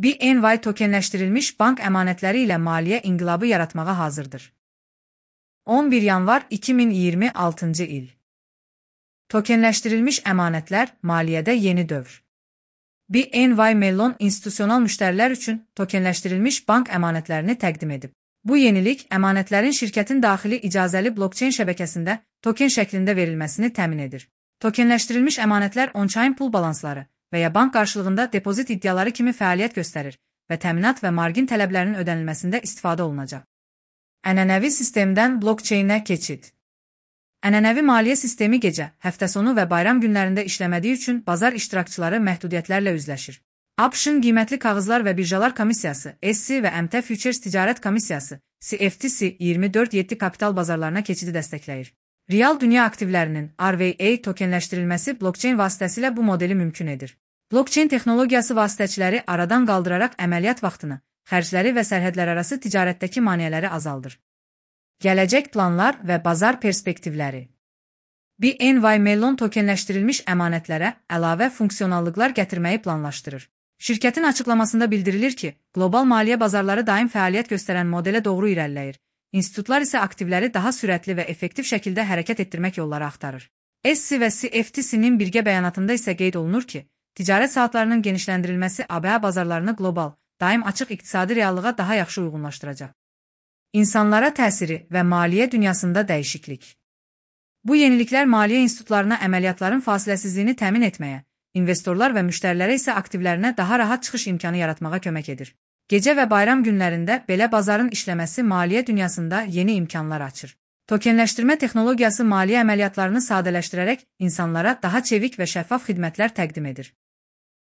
BNY tokenləşdirilmiş bank əmanətləri ilə maliyyə inqilabı yaratmağa hazırdır. 11 yanvar 2026 il. Tokenləşdirilmiş əmanətlər maliyyədə yeni dövr. BNY Mellon institusional müştərilər üçün tokenləşdirilmiş bank əmanətlərini təqdim edib. Bu yenilik əmanətlərin şirkətin daxili icazəli blokçeyn şəbəkəsində token şəklində verilməsini təmin edir. Tokenləşdirilmiş əmanətlər on-chain pul balansları və ya bank qarşılığında depozit iddiaları kimi fəaliyyət göstərir və təminat və margin tələblərinin ödənilməsində istifadə olunacaq. Ənənəvi sistemdən blokçeynə keçid. Ənənəvi maliyyə sistemi gecə, həftə sonu və bayram günlərində işləmədiyi üçün bazar iştirakçıları məhdudiyyətlərlə üzləşir. ABŞ-ın qiymətli kağızlar və birjalar komissiyası, SEC və MT Futures Ticarət Komissiyası, CFTC 24/7 kapital bazarlarına keçidi dəstəkləyir. Real dünya aktivlərinin RVA tokenləşdirilməsi blokçeyn vasitəsilə bu modeli mümkün edir. Blokçeyn texnologiyası vasitəçiləri aradan qaldıraraq əməliyyat vaxtını, xərcləri və sərhədlərarası ticarətdəki maneələri azaldır. Gələcək planlar və bazar perspektivləri. BNY Mellon tokenləşdirilmiş əmanətlərə əlavə funksionallıqlar gətirməyi planlaşdırır. Şirkətin açıqlamasında bildirilir ki, qlobal maliyyə bazarları daim fəaliyyət göstərən modelə doğru irəliləyir. İnstitutlar isə aktivləri daha sürətli və effektiv şəkildə hərəkət etdirmək yolları axtarır. SEC və CFTC-nin birgə bəyanatında isə qeyd olunur ki, ticarət saatlarının genişləndirilməsi ABA bazarlarını qlobal, daim açıq iqtisadi reallığa daha yaxşı uyğunlaşdıracaq. İnsanlara təsiri və maliyyə dünyasında dəyişiklik. Bu yeniliklər maliyyə institutlarına əməliyyatların fasiləsizliyini təmin etməyə, investorlar və müştərilərə isə aktivlərinə daha rahat çıxış imkanı yaratmağa kömək edir. Gecə və bayram günlərində belə bazarın işləməsi maliyyə dünyasında yeni imkanlar açır. Tokenləşdirmə texnologiyası maliyyə əməliyyatlarını sadələşdirərək insanlara daha çevik və şəffaf xidmətlər təqdim edir.